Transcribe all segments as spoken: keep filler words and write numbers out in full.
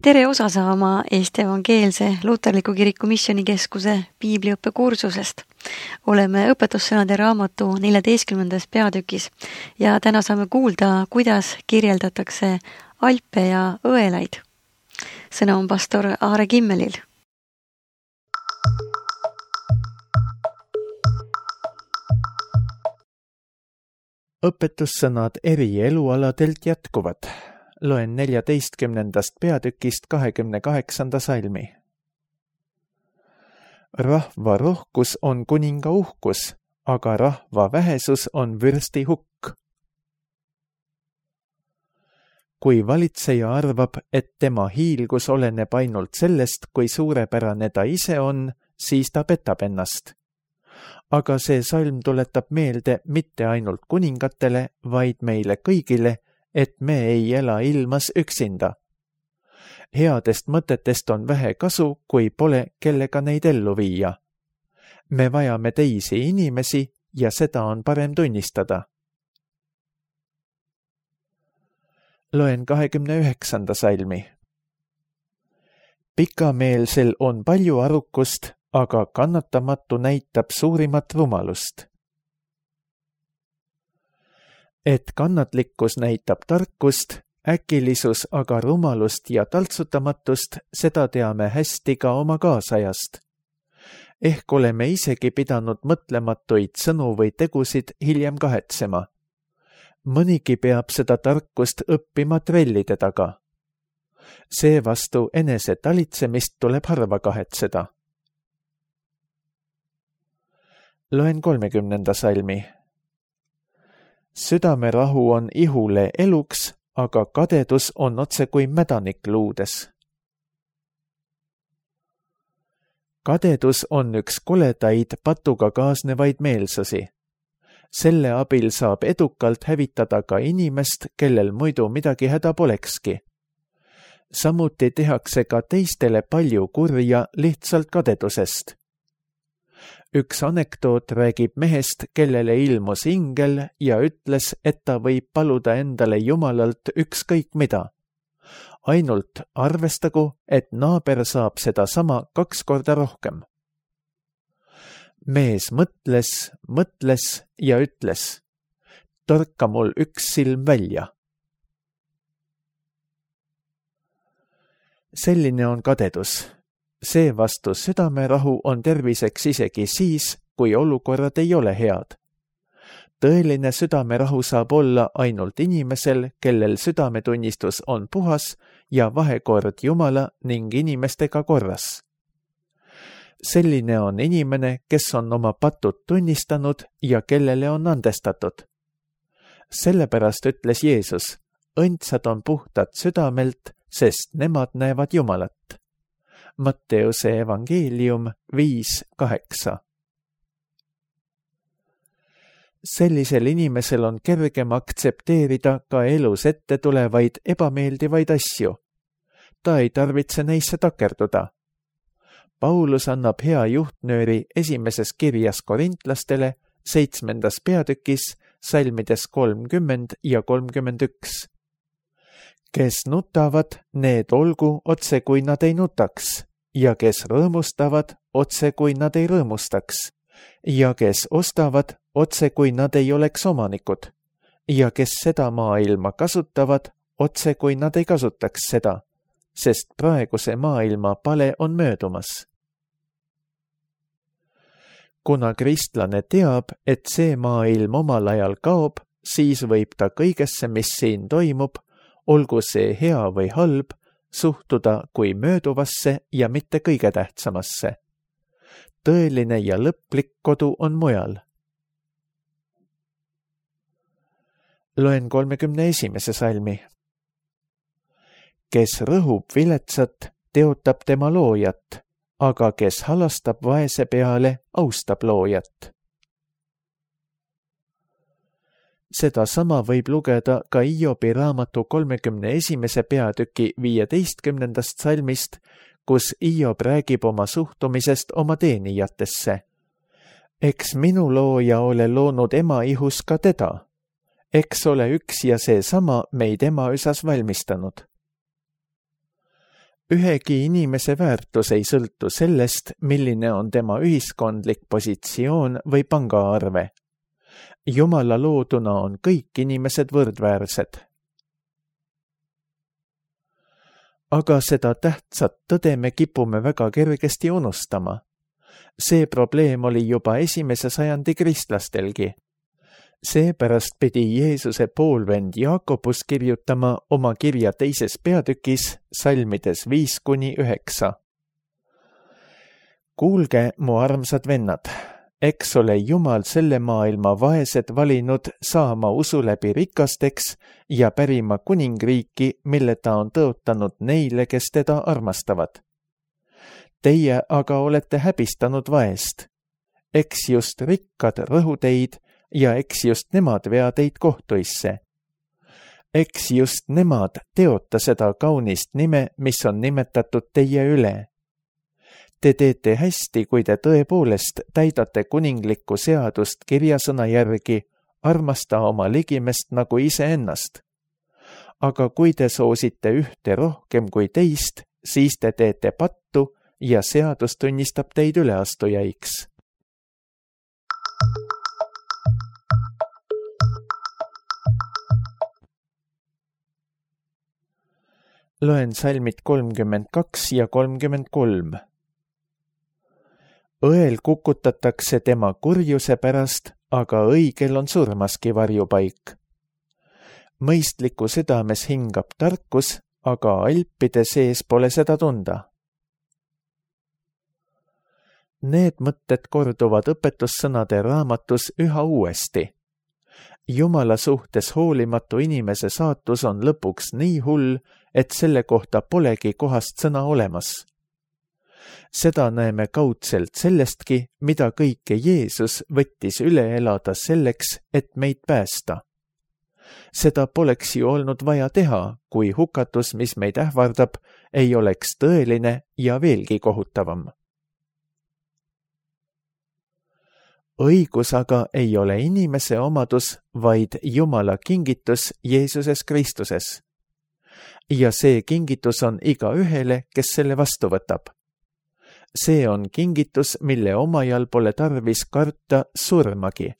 Tere osa saama Eesti Evangeelse Luterliku Kiriku Missioonikeskuse piibliõppe kursusest. Oleme õpetussõnade raamatu neljateistkümnendas peatükis ja täna saame kuulda, kuidas kirjeldatakse alpe ja õelaid. Sõna on pastor Aare Kimmelil. Õpetussõnad eri elualadelt jätkuvad. Loen neljateistkümnendast peatükist kahekümne kaheksanda salmi. Rahva rohkus on kuninga uhkus, aga rahva vähesus on vürsti hukk. Kui valitseja arvab, et tema hiilgus oleneb ainult sellest, kui suurepärane ta ise on, siis ta petab ennast. Aga see salm tuletab meelde mitte ainult kuningatele, vaid meile kõigile, et me ei ela ilmas üksinda. Headest mõtetest on vähe kasu, kui pole kellega neid ellu viia. Me vajame teisi inimesi ja seda on parem tunnistada. Loen kahekümne üheksanda salmi. Pikameelsel on palju arukust, aga kannatamatu näitab suurimat rumalust. Et kannatlikkus näitab tarkust, äkilisus aga rumalust ja taltsutamatust, seda teame hästi ka oma kaasajast. Ehk oleme isegi pidanud mõtlematuid sõnu või tegusid hiljem kahetsema. Mõnigi peab seda tarkust õppima trellide taga. Seevastu enese talitsemist tuleb harva kahetseda. Loen kolmekümnenda salmi. Südamerahu on ihule eluks, aga kadedus on otse kui mädanik luudes. Kadedus on üks koledaid patuga kaasnevaid meelsusi. Selle abil saab edukalt hävitada ka inimest, kellel muidu midagi häda polekski. Samuti tehakse ka teistele palju kurja lihtsalt kadedusest. Üks anekdoot räägib mehest, kellele ilmus ingel ja ütles, et ta võib paluda endale Jumalalt ükskõik mida. Ainult arvestagu, et naaber saab seda sama kaks korda rohkem. Mees mõtles, mõtles ja ütles, torka mul üks silm välja. Selline on kadedus. Seevastu südamerahu on terviseks isegi siis, kui olukorrad ei ole head. Tõeline südamerahu saab olla ainult inimesel, kellel südametunnistus on puhas ja vahekord Jumala ning inimestega korras. Selline on inimene, kes on oma patud tunnistanud ja kellele on andestatud. Sellepärast ütles Jeesus, õndsad on puhtad südamelt, sest nemad näevad Jumalat. Matteuse evangeelium viis kaheksa. Sellisel inimesel on kergem aktsepteerida ka elus ette tulevaid ebameeldivaid asju. Ta ei tarvitse neisse takerduda. Paulus annab hea juhtnööri esimeses kirjas korintlastele seitsmendas peatükis salmides kolmkümmend ja kolmkümmend üks. Kes nutavad, need olgu otse kui nad ei nutaks, ja kes rõõmustavad, otse kui nad ei rõõmustaks, ja kes ostavad, otse kui nad ei oleks omanikud, ja kes seda maailma kasutavad, otse kui nad ei kasutaks seda, sest praeguse maailma pale on möödumas. Kuna kristlane teab, et see maailm omal ajal kaob, siis võib ta kõigesse, mis siin toimub, olgu see hea või halb, suhtuda kui mööduvasse ja mitte kõige tähtsamasse. Tõeline ja lõplik kodu on mujal. Loen kolmekümne esimese salmi. Kes rõhub viletsat, teotab tema loojat, aga kes halastab vaese peale, austab loojat. Seda sama võib lugeda ka Hiobi raamatu kolmekümne esimese peatüki viieteistkümnendast salmist, kus Hiob räägib oma suhtumisest oma teenijatesse. Eks minu looja ole loonud ema ihus ka teda. Eks ole üks ja seesama meid ema üsas valmistanud. Ühegi inimese väärtus ei sõltu sellest, milline on tema ühiskondlik positsioon või pangaarve. Jumala looduna on kõik inimesed võrdväärsed. Aga seda tähtsat tõde me kipume väga kergesti unustama. See probleem oli juba esimese sajandi kristlastelgi. Seepärast pidi Jeesuse poolvend Jaakobus kirjutama oma kirja teises peatükis salmides viis kuni üheksa. Kuulge, mu armsad vennad, eks ole Jumal selle maailma vaesed valinud saama usu läbi rikasteks ja pärima kuningriiki, mille ta on tõotanud neile, kes teda armastavad. Teie aga olete häbistanud vaest. Eks just rikkad rõhu teid ja eks just nemad vea teid kohtuisse. Eks just nemad teota seda kaunist nime, mis on nimetatud teie üle. Te teete hästi, kui te tõepoolest täidate kuninglikku seadust kirjasõna järgi, armasta oma ligimest nagu iseennast. Aga kui te soosite ühte rohkem kui teist, siis te teete pattu ja seadus tunnistab teid üleastujaiks. Loen salmid kolmkümmend kaks ja kolmkümmend kolm. Õel kukutatakse tema kurjuse pärast, aga õigel on surmaski varjupaik. Mõistliku südames hingab tarkus, aga alpide sees pole seda tunda. Need mõtted korduvad õpetussõnade raamatus üha uuesti. Jumala suhtes hoolimatu inimese saatus on lõpuks nii hull, et selle kohta polegi kohast sõna olemas. Seda näeme kaudselt sellestki, mida kõike Jeesus võttis üle elada selleks, et meid päästa. Seda poleks ju olnud vaja teha, kui hukatus, mis meid ähvardab, ei oleks tõeline ja veelgi kohutavam. Õigus aga ei ole inimese omadus, vaid Jumala kingitus Jeesuses Kristuses. Ja see kingitus on iga ühele, kes selle vastu võtab. See on kingitus, mille omajal pole tarvis karta surmagi.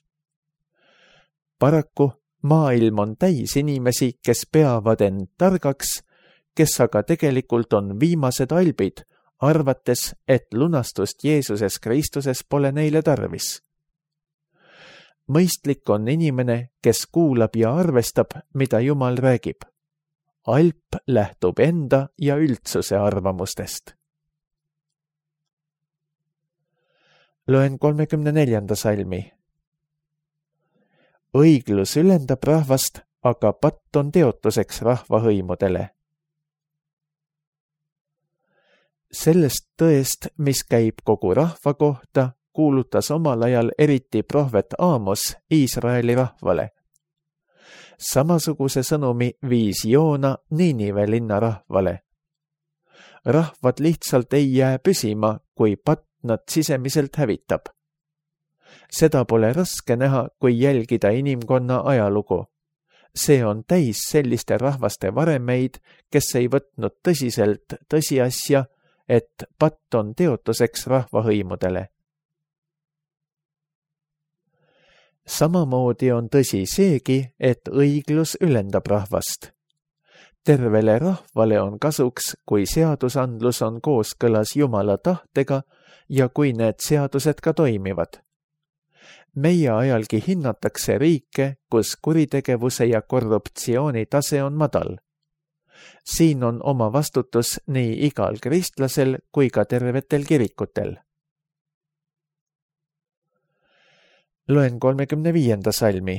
Paraku maailm on täis inimesi, kes peavad end targaks, kes aga tegelikult on viimased albid, arvates, et lunastust Jeesuses Kristuses pole neile tarvis. Mõistlik on inimene, kes kuulab ja arvestab, mida Jumal räägib. Alp lähtub enda ja üldsuse arvamustest. Loen kolmekümne neljanda salmi. Õiglus ülendab rahvast, aga patt on teotuseks rahvahõimudele. Sellest tõest, mis käib kogu rahva kohta, kuulutas omal ajal eriti prohvet Aamos Iisraeli rahvale. Samasuguse sõnumi viis Joona Niinive linna rahvale. Rahvad lihtsalt ei jää püsima, kui patt nad sisemiselt hävitab. Seda pole raske näha, kui jälgida inimkonna ajalugu. See on täis selliste rahvaste varemeid, kes ei võtnud tõsiselt tõsiasja, et patt on teotuseks rahvahõimudele. Samamoodi on tõsi seegi, et õiglus ülendab rahvast. Tervele rahvale on kasuks, kui seadusandlus on kooskõlas Jumala tahtega ja kui need seadused ka toimivad. Meie ajalgi hinnatakse riike, kus kuritegevuse ja korruptsiooni tase on madal. Siin on oma vastutus nii igal kristlasel kui ka tervetel kirikutel. Loen kolmekümne viienda salmi.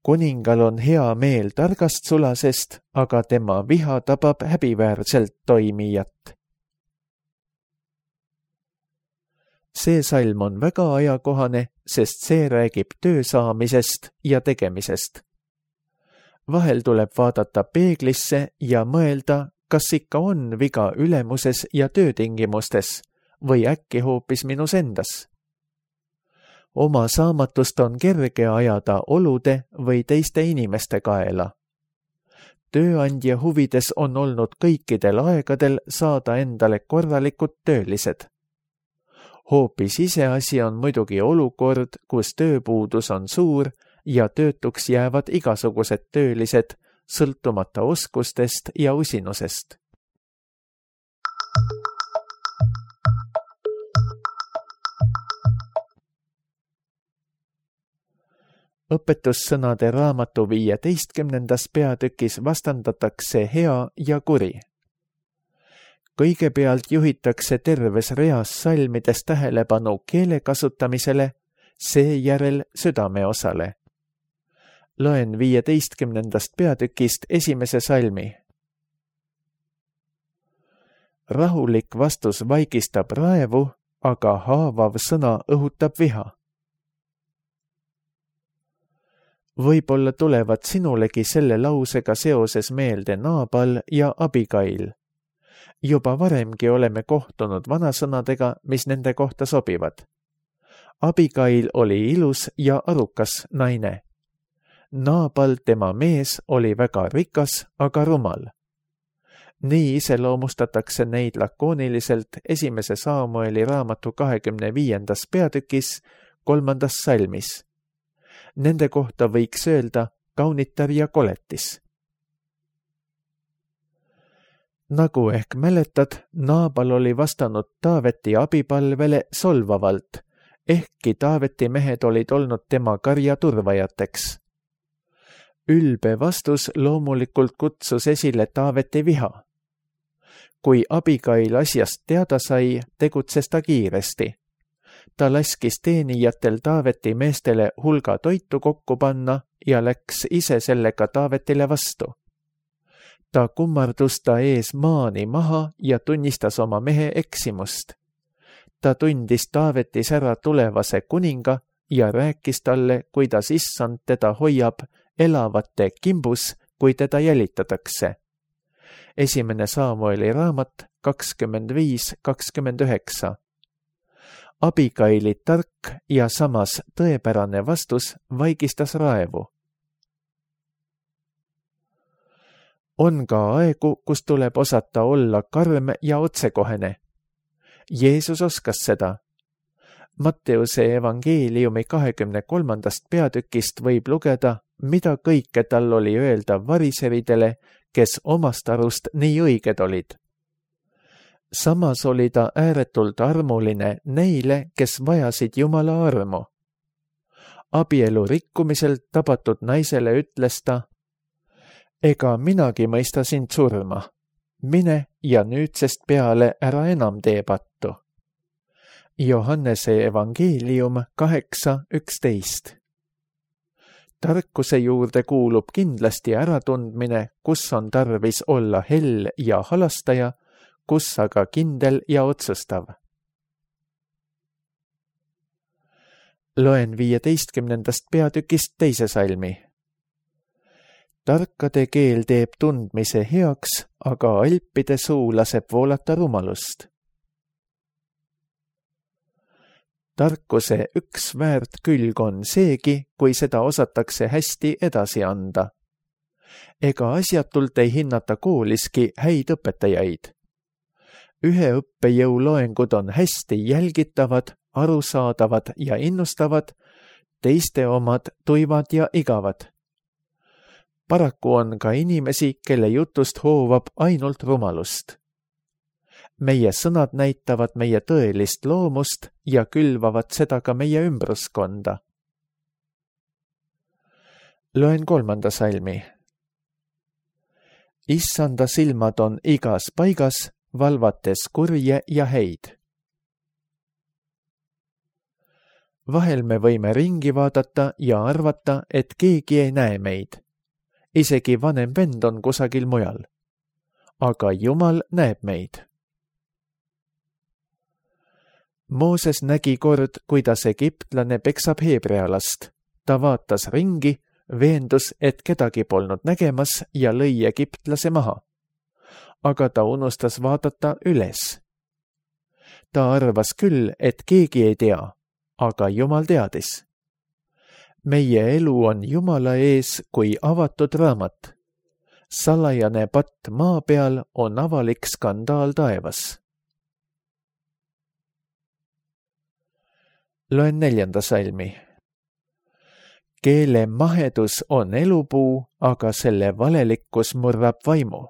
Kuningal on hea meel targast sulasest, aga tema viha tabab häbiväärselt toimijat. See salm on väga ajakohane, sest see räägib töö saamisest ja tegemisest. Vahel tuleb vaadata peeglisse ja mõelda, kas ikka on viga ülemuses ja töötingimustes või äkki hoopis minus endas. Oma saamatust on kerge ajada olude või teiste inimeste kaela. tööandja huvides on olnud kõikidel aegadel saada endale korralikud töölised. Hoopis iseasi on muidugi olukord, kus tööpuudus on suur ja töötuks jäävad igasugused töölised, sõltumata oskustest ja usinusest. Õpetussõnade raamatu viieteistkümnendas peatükis vastandatakse hea ja kuri. Kõigepealt juhitakse terves reas salmides tähelepanu keele kasutamisele, seejärel südameosale. Loen viieteistkümnendast peatükist esimese salmi. Rahulik vastus vaigistab raevu, aga haavav sõna õhutab viha. Võib-olla tulevad sinulegi selle lausega seoses meelde Naabal ja Abigail. Juba varemgi oleme kohtunud vanasõnadega, mis nende kohta sobivad. Abigail oli ilus ja arukas naine. Naabal, tema mees, oli väga rikas, aga rumal. Nii iseloomustatakse neid lakooniliselt esimese Saamueli raamatu kahekümne viiendas peatükis kolmandas salmis. Nende kohta võiks öelda kaunitar ja koletis. Nagu ehk mäletad, Naabal oli vastanud Taaveti abipalvele solvavalt, ehkki Taaveti mehed olid olnud tema karja turvajateks. Ülbe vastus loomulikult kutsus esile Taaveti viha. Kui Abigail asjast teada sai, tegutses ta kiiresti. Ta laskis teenijatel Taaveti meestele hulga toitu kokku panna ja läks ise sellega Taavetile vastu. Ta kummardus ta ees maani maha ja tunnistas oma mehe eksimust. Ta tundis Taavetis ära tulevase kuninga ja rääkis talle, kuidas issand teda hoiab elavate kimbus, kui teda jälitatakse. Esimene Saamueli raamat kakskümmend viis kakskümmend üheksa. Abigaili tark ja samas tõepärane vastus vaigistas raevu. On ka aegu, kus tuleb osata olla karm ja otsekohene. Jeesus oskas seda. Matteuse evangeeliumi kahekümne kolmandast peatükist võib lugeda, mida kõike tal oli öelda variseridele, kes omast arust nii õiged olid. Samas oli ta ääretult armuline neile, kes vajasid Jumala armu. Abielu rikkumiselt tabatud naisele ütles ta, ega minagi mõista sind surma. Mine ja nüüdsest peale ära enam tee pattu. Johannese evangeelium kaheksa üksteist. Tarkuse juurde kuulub kindlasti äratundmine, kus on tarvis olla hell ja halastaja, kus aga kindel ja otsustav. Loen viieteistkümnendast peatükist teise salmi. Tarkade keel teeb tundmise heaks, aga alpide suu laseb voolata rumalust. Tarkuse üks väärt külg on seegi, kui seda osatakse hästi edasi anda. Ega asjatult ei hinnata kooliski häid õpetajaid. Ühe õppejõu loengud on hästi jälgitavad, arusaadavad ja innustavad, teiste omad tuivad ja igavad. Paraku on ka inimesi, kelle jutust hoovab ainult rumalust. Meie sõnad näitavad meie tõelist loomust ja külvavad seda ka meie ümbruskonda. Loen kolmanda salmi. Issanda silmad on igas paigas, valvates kurje ja häid. Vahel me võime ringi vaadata ja arvata, et keegi ei näe meid. Isegi vanem vend on kusagil mujal. Aga Jumal näeb meid. Mooses nägi kord, kuidas egiptlane peksab heebrealast. Ta vaatas ringi, veendus, et kedagi polnud nägemas ja lõi egiptlase maha. Aga ta unustas vaadata üles. Ta arvas küll, et keegi ei tea, aga Jumal teadis. Meie elu on Jumala ees kui avatud raamat. salajane patt maa peal on avalik skandaal taevas. Loen neljanda salmi. Keele mahedus on elupuu, aga selle valelikkus murrab vaimu.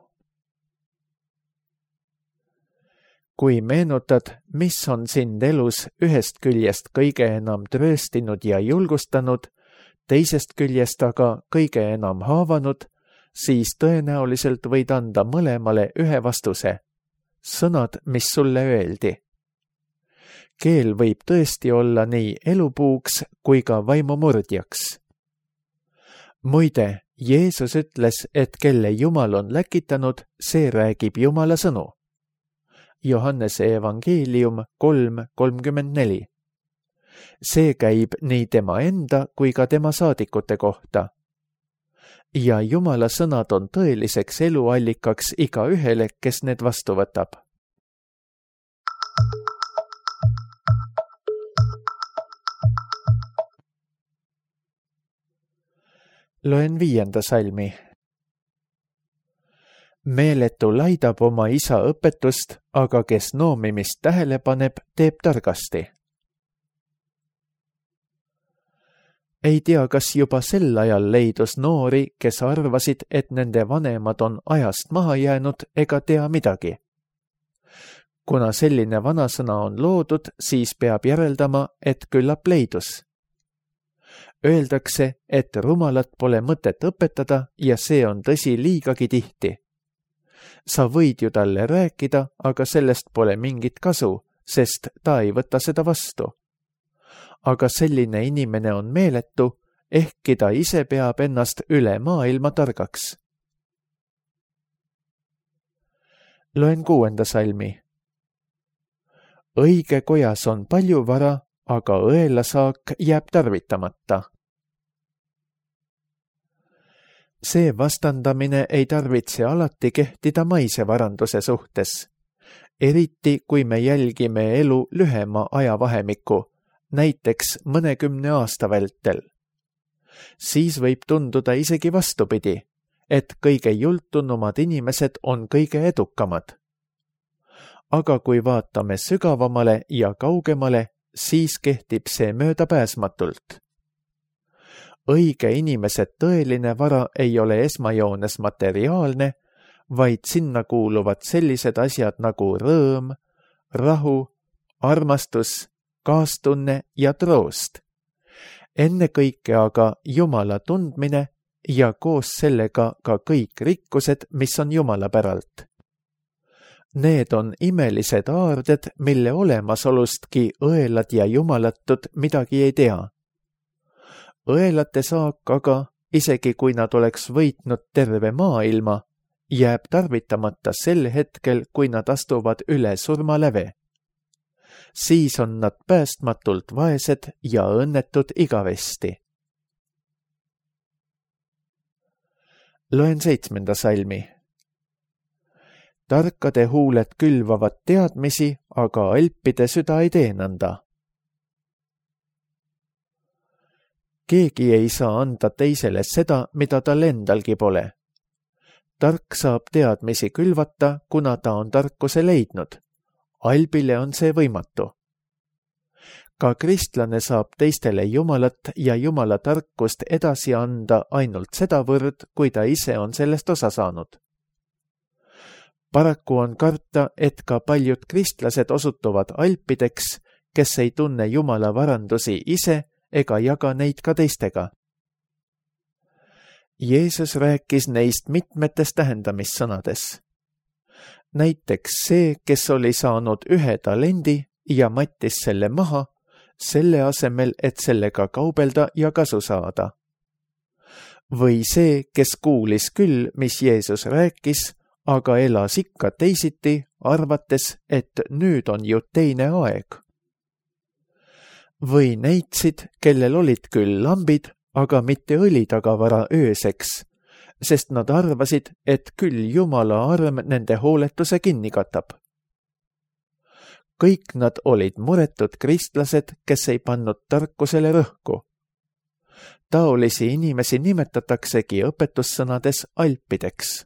Kui meenutad, mis on sind elus ühest küljest kõige enam trööstinud ja julgustanud, teisest küljest aga kõige enam haavanud, siis tõenäoliselt võid anda mõlemale ühe vastuse. Sõnad, mis sulle öeldi. Keel võib tõesti olla nii elupuuks kui ka vaimumurdjaks. Muide, Jeesus ütles, et kelle Jumal on läkitanud, see räägib Jumala sõnu. Johannese evangeelium kolm kolmkümmend neli. See käib nii tema enda kui ka tema saadikute kohta. Ja Jumala sõnad on tõeliseks eluallikaks iga ühele, kes need vastu võtab. Loen viienda salmi. Meeletu laidab oma isa õpetust, aga kes noomimist tähele paneb, teeb targasti. Ei tea, kas juba sel ajal leidus noori, kes arvasid, et nende vanemad on ajast maha jäänud ega tea midagi. Kuna selline vanasõna on loodud, siis peab järeldama, et küllap leidus. Öeldakse, et rumalat pole mõtet õpetada ja see on tõsi liigagi tihti. Sa võid ju talle rääkida, aga sellest pole mingit kasu, sest ta ei võta seda vastu. Aga selline inimene on meeletu, ehkki ta ise peab ennast üle maailma targaks. Loen kuuenda salmi. Õige kojas on palju vara, aga õelasaak jääb tarvitamata. See vastandamine ei tarvitse alati kehtida maise varanduse suhtes, eriti kui me jälgime elu lühema ajavahemikku, näiteks mõnekümne aasta vältel. Siis võib tunduda isegi vastupidi, et kõige jultunumad inimesed on kõige edukamad. Aga kui vaatame sügavamale ja kaugemale, siis kehtib see möödapääsmatult. Õige inimese tõeline vara ei ole esmajoones materiaalne, vaid sinna kuuluvad sellised asjad nagu rõõm, rahu, armastus, kaastunne ja troost. Ennekõike aga Jumala tundmine ja koos sellega ka kõik rikkused, mis on Jumala päralt. Need on imelised aarded, mille olemasolustki õelad ja jumalatud midagi ei tea. Õelate saak aga, isegi kui nad oleks võitnud terve maailma, jääb tarvitamata sel hetkel, kui nad astuvad üle surmaläve. Siis on nad päästmatult vaesed ja õnnetud igavesti. Loen seitsmenda salmi. Tarkade huuled külvavad teadmisi, aga alpide süda ei tee nõnda. Keegi ei saa anda teisele seda, mida tal endalgi pole. Tark saab teadmisi külvata, kuna ta on tarkuse leidnud. Albile on see võimatu. Ka kristlane saab teistele Jumalat ja Jumala tarkust edasi anda ainult sedavõrd, kui ta ise on sellest osa saanud. Paraku on karta, et ka paljud kristlased osutuvad alpideks, kes ei tunne Jumala varandusi ise ega jaga neid ka teistega. Jeesus rääkis neist mitmetes tähendamissõnades. Näiteks see, kes oli saanud ühe talendi ja mattis selle maha, selle asemel, et sellega kaubelda ja kasu saada. Või see, kes kuulis küll, mis Jeesus rääkis, aga elas ikka teisiti, arvates, et nüüd on ju teine aeg. Või neitsid, kellel olid küll lambid, aga mitte õlitagavara ööseks, sest nad arvasid, et küll Jumala arm nende hooletuse kinni katab. Kõik nad olid muretud kristlased, kes ei pannud tarkusele rõhku. Taolisi inimesi nimetataksegi õpetussõnades alpideks.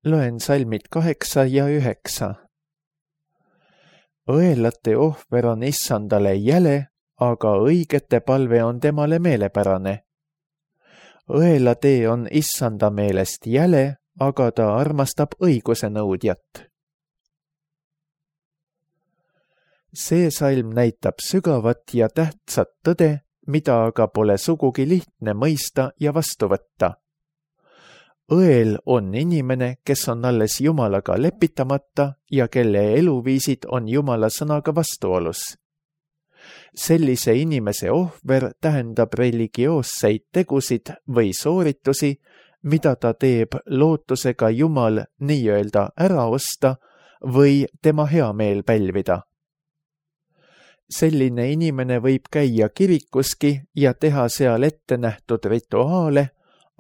Loen salmid kaheksa ja üheksa. Õelate ohver on issandale jäle, aga õigete palve on temale meelepärane. Õela tee on issanda meelest jäle, aga ta armastab õiguse nõudjat. See salm näitab sügavat ja tähtsat tõde, mida aga pole sugugi lihtne mõista ja vastu võtta. Õel on inimene, kes on alles Jumalaga lepitamata ja kelle eluviisid on Jumala sõnaga vastuolus. Sellise inimese ohver tähendab religioosseid tegusid või sooritusi, mida ta teeb lootusega Jumal nii-öelda ära osta või tema heameel pälvida. Selline inimene võib käia kirikuski ja teha seal ette nähtud rituaale,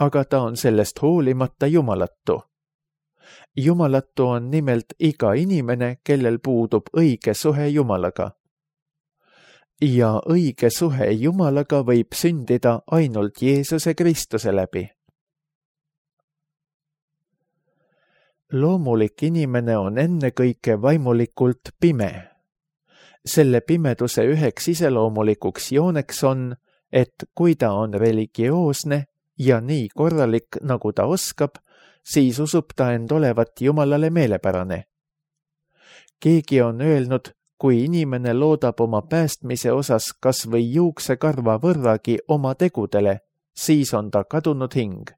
aga ta on sellest hoolimata jumalatu. Jumalatu on nimelt iga inimene, kellel puudub õige suhe Jumalaga. Ja õige suhe Jumalaga võib sündida ainult Jeesuse Kristuse läbi. Loomulik inimene on ennekõike vaimulikult pime. Selle pimeduse üheks iseloomulikuks jooneks on, et kui ta on religioosne ja nii korralik, nagu ta oskab, siis usub ta end olevat Jumalale meelepärane. Keegi on öelnud, kui inimene loodab oma päästmise osas kas või juuksekarva võrragi oma tegudele, siis on ta kadunud hing.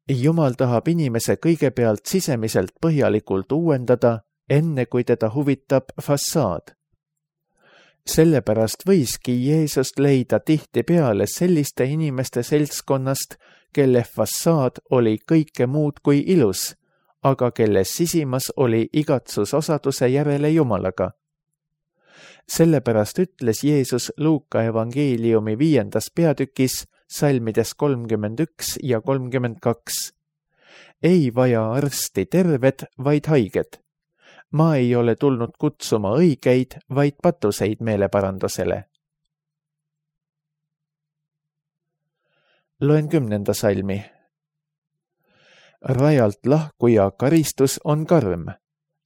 Jumal tahab inimese kõigepealt sisemiselt põhjalikult uuendada, enne kui teda huvitab fassaad. Sellepärast võiski Jeesust leida tihtipeale selliste inimeste seltskonnast, kelle fassaad oli kõike muud kui ilus, aga kelle sisimas oli igatsus osaduse järele Jumalaga. Sellepärast ütles Jeesus Luuka evangeeliumi viiendas peatükis salmides kolmkümmend üks ja kolmkümmend kaks. Ei vaja arsti terved, vaid haiged. Ma ei ole tulnud kutsuma õigeid, vaid patuseid meeleparandusele. Loen kümnenda salmi. Rajalt lahkuja karistus on karm,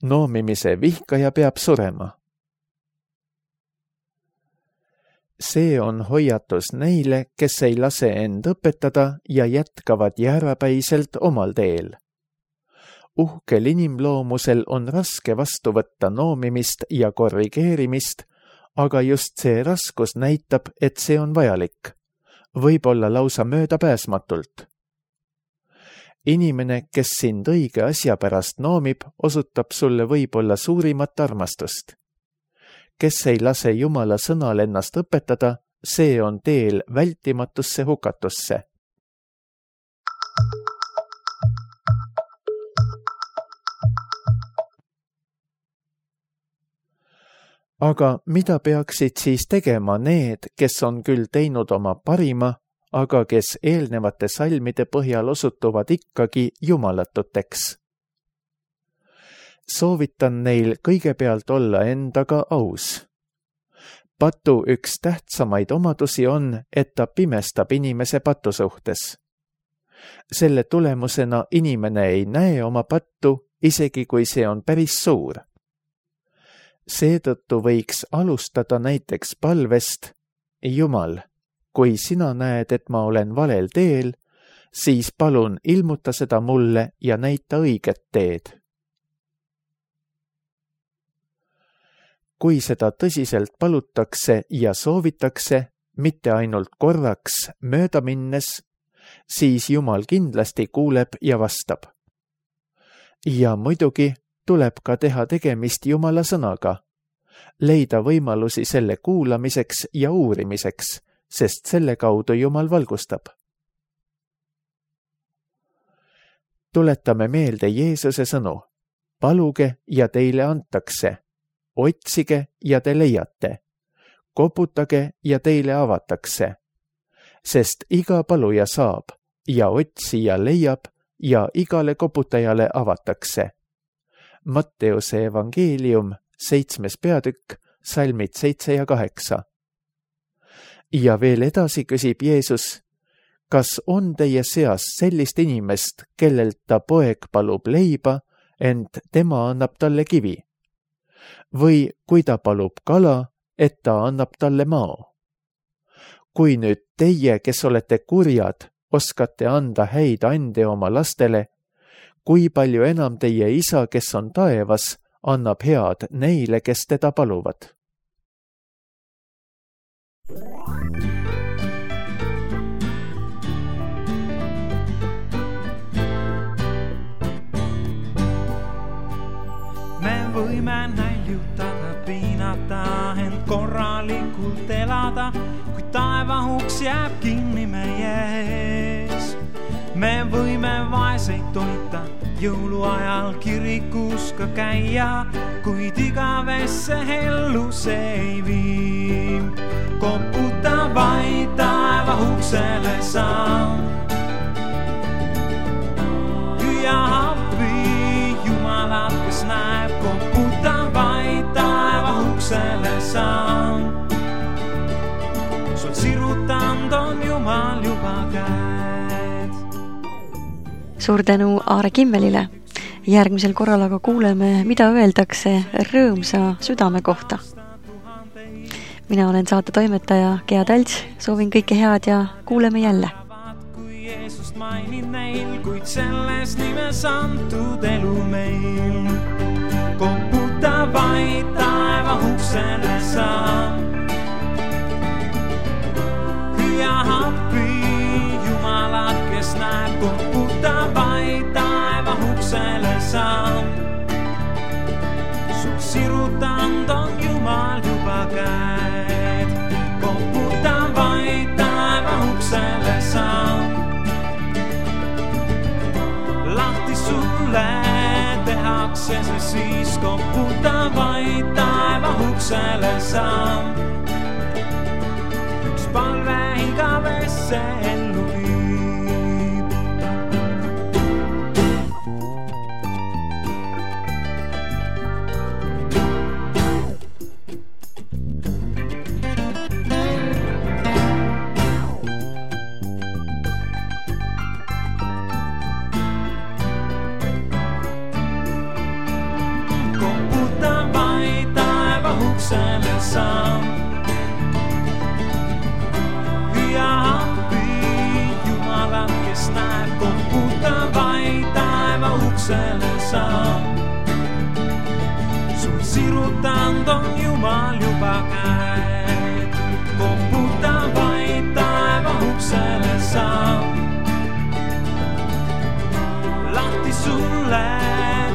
noomimise vihkaja peab surema. See on hoiatus neile, kes ei lase end õpetada ja jätkavad jäärapäiselt omal teel. Uhkel inimloomusel on raske vastu võtta noomimist ja korrigeerimist, aga just see raskus näitab, et see on vajalik, võib-olla lausa möödapääsmatult. Inimene, kes sind õige asja pärast noomib, osutab sulle võib-olla suurimat armastust. Kes ei lase Jumala sõnal ennast õpetada, see on teel vältimatusse hukatusse. Aga mida peaksid siis tegema need, kes on küll teinud oma parima, aga kes eelnevate salmide põhjal osutuvad ikkagi jumalatuteks? Soovitan neil kõigepealt olla endaga aus. Patu üks tähtsamaid omadusi on, et ta pimestab inimese patu suhtes. Selle tulemusena inimene ei näe oma pattu, isegi kui see on päris suur. Seetõttu võiks alustada näiteks palvest: Jumal, kui sina näed, et ma olen valel teel, siis palun ilmuta seda mulle ja näita õiget teed. Kui seda tõsiselt palutakse ja soovitakse, mitte ainult korraks mööda minnes, siis Jumal kindlasti kuuleb ja vastab. Ja muidugi tuleb ka teha tegemist Jumala sõnaga, leida võimalusi selle kuulamiseks ja uurimiseks, sest selle kaudu Jumal valgustab. Tuletame meelde Jeesuse sõnu: paluge ja teile antakse, otsige ja te leiate, koputage ja teile avatakse, sest iga paluja saab ja otsija leiab ja igale koputajale avatakse. Matteuse evangeelium, seitsmes peatükk, salmid seitse ja kaheksa. Ja veel edasi küsib Jeesus: kas on teie seas sellist inimest, kellelt ta poeg palub leiba, ent tema annab talle kivi? Või kui ta palub kala, et ta annab talle mao? Kui nüüd teie, kes olete kurjad, oskate anda häid ande oma lastele, kui palju enam teie isa, kes on taevas, annab head neile, kes teda paluvad? Me võime näljutada, piinata, ent korralikult elada, kui taevahuks jääb kinni meie ees. Me võime vaeseid toita, jõuluajal kirikus ka käia, kuid igavesse ellu see ei vii. Koputa vaid taevahuksele sa. Hüüa appi Jumalat, kes näeb, koputa vaid taevahuksele sa. Sul sirutanud on Jumal juba käed. Suur tänu Aare Kimmelile. Järgmisel korral aga kuuleme, mida öeldakse rõõmsa südame kohta. Mina olen saate toimetaja Gea Talts, soovin kõike head ja kuuleme jälle. Kui Jeesust mainin neil, kuid selles nimes antud elu meil. Koputa vaid taevahuksele sa. Hüüa appi Jumalat, kes näeb, koputa vaid taevahuksele sa. Sul sirutanud on Jumal juba käed. Koputa vaid taevahuksele sa. Lahti sulle tehakse see siis, koputa vaid taevahuksele sa. Üks palve igavesse ellu viib. Huksele sa. Hüüa appi Jumalat, kes näeb, koputa vaid taevahuksele sa. Sul sirutanud on Jumal juba käed. Koputa vaid taevahuksele sa. Lahti sulle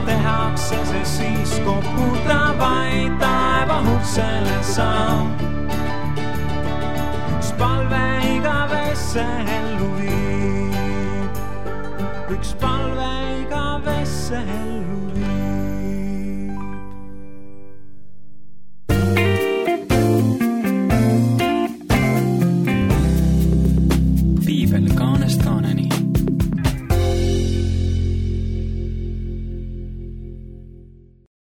tehakse see siis, koputa vaid taevahuksele sa. Üks palve igavesse ellu viib. Üks palve igavesse ellu viib.